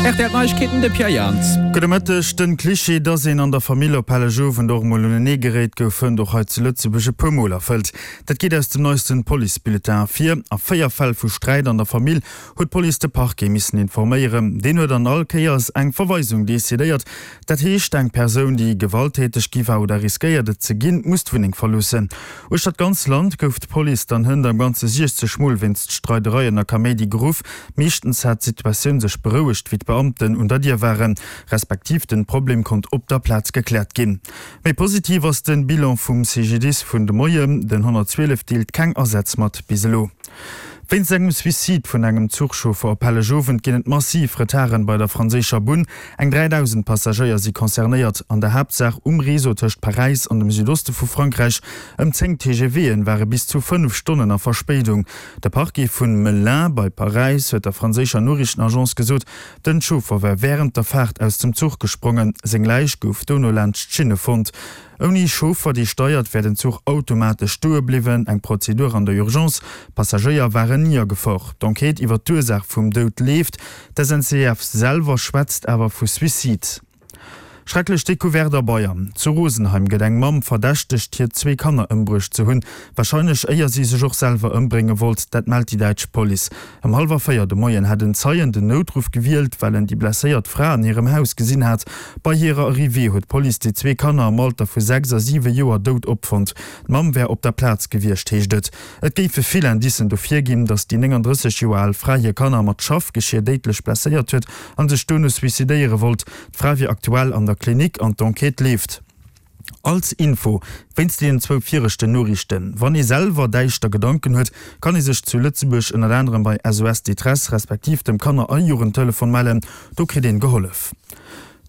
Rtl Neiegkeeten, de Pierre Jans. Gudde Mëtteg. Den Cliché, dass een an der Famill op Hellegowend och emol unenee geréit, gouf fënnt och hei zu Lëtzebuerg e puer Mol erfëllt. Dat geet aus dem neisten Policebulletin ervir. A 4 Fäll vu Sträit an der Famill huet d'Police de Parquet missen informéieren. Deen huet an all Kéiers eng Verweisung decidéiert. Dat heescht, eng Persoun, déi gewalttäteg gi war oder riskéiert et ze ginn, muss d'Wunneng verloossen. Uechter d'ganz Land gouf d'Police dann hënt am Ganze 60 Mol wéinst Streidereien a Kaméidi geruff. Meeschtens hat d'Situatioun sech berouegt, wéi d'Beamten un der Dier waren, respektiv den Problem konnt op der Plaz gekläert ginn. Méi positiv ass den Bilan vum CGDIS vun de Moien, Den 112 deelt keng Asätz mat bis elo. Wéinst engem Suicide vun engem Zuchchauffer op Hellegowend ginn et massiv Retarden bei der franséischer Bunn. Eng 3.000 Passagéier si concernéiert, an der Haaptsaach um Réseau tëscht Paräis an dem Südoste vu Frankräich. Ëm 10 TGVen ware bis zu 5 Stonnen a Verspéidung. De Parquet vun Melun bei Paräis huet der franséischer Noriichtenagence gesot, den Chauffer wär wärend der Faart aus dem Zuch gesprongen. Seng Läich gouf dono laanscht d'Schinne fonnt. Ouni Chauffer, dee steiert, wär den Zuch automatesch stoe bliwwen, eng Prozedur an der Urgence. D'Passagéier waren ni a Gefor. D'Enquête iwwer d'Ursaach vum Doud leeft. D'SNCF selwer schwätzt awer vu Suicide. Schrecklech Decouverte a Bayern, Zu Rosenheim gëtt eng Mamm verdächtegt, hir zwee Kanner ëmbruecht ze hunn. Warscheinlech éier si sech och selwer ëmbrénge wollt, dat mellt déi däitsch Police. Ëm hallwer 4 de Moien hätt en Zeien den Noutruff gewielt, well en déi blesséiert Fra an hirem Haus gesinn hat. Bei hirer Arrivée huet d'Police déi zwee Kanner am Alter vu 6 a 7 Joer dout opfonnt. D'Mamm wär op der Plaz gewiescht, heescht et. Et géife vill Indicen dofir ginn, datt déi 39 Joer al Fra hir Kanner mat Schaffgeschier déidlech blesséiert huet a sech dono suicidéiere wollt. D'Fra wier aktuell an der Klinik an d'Enquête leeft. Als Info, wéinst deenen zwou viregten Noriichten, Wann ee selwer däischter Gedanken huet, kann ee sech zu Lëtzebuerg ënnert anerem bei SOS Détresse respektiv dem Kanner a Jugendtelefon mellen. Do kritt een gehollef.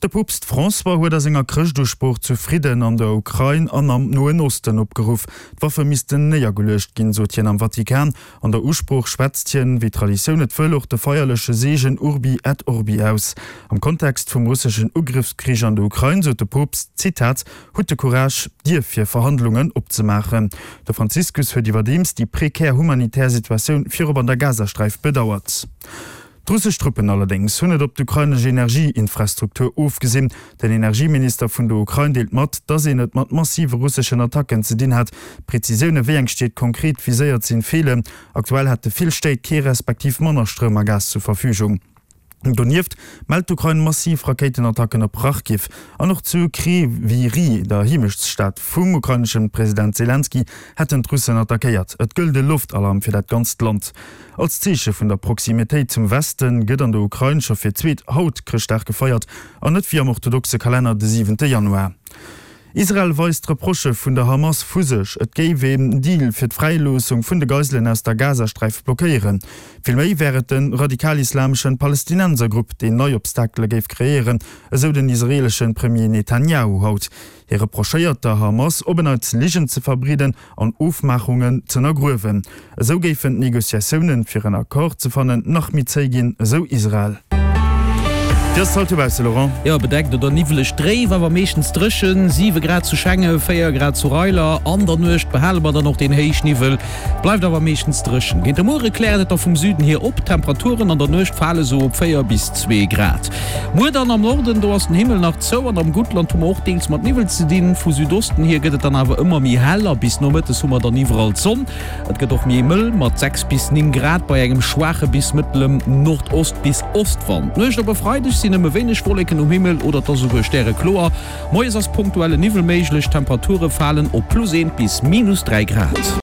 De Poopst François huet a senger Chrëschtusprooch zu Fridden an der Ukrain an am Noen Osten opgeruff. D'Waffe missten néiergeluecht ginn, sot hien am Vatikan. An der Usprooch schwätzt hien, wéi d'Traditioun et wëll, och de feierleche Seegen Urbi et Orbi aus. Am Kontext vum russeschen Ugrëffskrich an der Ukrain sot de Poopst, Zitat, Hutt de Courage, d'Dier fir Verhandlungen opzemaachen. De Franziskus huet iwwerdeems déi prekär humanitär Situatioun virop an der Gazasträif bedauert. D'russesch Truppen allerdéngs hunn et op d'ukrainesch Energieinfrastruktur ofgesinn. Den Energieminister vun der Ukrain deelt mat, datt een et mat massive russeschen Attacken ze dinn hätt. Prezisioune wéi eng Stied konkret viséiert sinn, feelen. Aktuell hätte vill Stéit kee respektiv manner Stroum a Gas zur Verfügung. Donieft mellt d'Ukrain massiv Rakéitenattacken op Charkiw an och zu Kryvyi Rih, der Heemechtsstad vum ukraineschen President Selenskyj, hätten d'Russen attackéiert. Et gëllt e Loftalarm fir dat ganzt Land. Als Zeeche vun der Proximitéit zum Weste gëtt an der Ukrain scho fir d'zweet haut Chrëschtdag gefeiert an net wéi am orthodoxe Kalenner de siwente Januar. Israel weist d'Reprochë vun der Hamas vu sech, et géif een Deal fir d'Fräiloossung vun de Geiselen aus der Gazasträif blockéieren. Villméi wär et de radikal-islameschen Palestinensergrupp, deen nei Obstakele géif kreéieren, esou den israeelesche Premier Netanjahu haut. Hie reprochéiert der Hamas, op en Neits Ligen ze verbreeden an Ofmaachungen z'ënnergruewen. Esou géifen d'Negociatiounen, fir en Accord ze fannen, nach méi zéi ginn, esou Israel. Wéi ass et haut dobausse, Laurent? Jo, bedeckt oder niwweleg, dréif, awer meeschtens dréchen. 7 Grad zu Schengen, 4 Grad zu Reiler. An der Nuecht behale mer dann och deen Héichniwwel, bleift awer meeschtens dréchen. Géint de Muere kläert et da vum Süden hier op, d'Temperaturen an der Nuecht fale sou op 4 bis 2 Grad. Muer dann am Norden, do ass den Himmel nach zou an am Guttland hu mer och deels mat Niwwel ze dinn. Vu Südosten hier gëtt et dann awer ëmmer méi hell a bis nomëttes hu mer dann iwwerall d'Sonn. Et gëtt och méi mëll mat 6 bis 9 Grad bei engem schwaache bis mëttelem Nordost bis Ostwand. D'Nuecht op e Freideg sinn nëmme wéineg Wolleken um Himmel oder et ass esouguer stärekloer. Moies ass punktuelle Niwwel méiglech, d'Temperature falen op plus 1 bis minus 3 Grad.